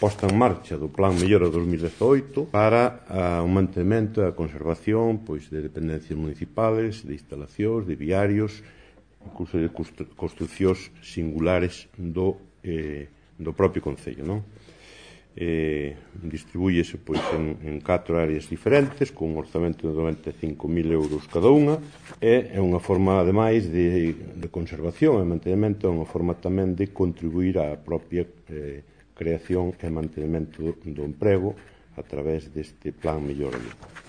posta en marcha do Plan Mellora 2018 para o mantemento e a conservación de dependencias municipales, de instalacións, de viarios, incluso de construcións singulares do propio Concello. Distribúyese en 4 áreas diferentes, con un orzamento de 95.000 euros cada unha, e é unha forma, ademais, de conservación e mantenimento, é unha forma tamén de contribuir á propia creación e mantenimento do emprego a través deste Plan Mellora Vigo.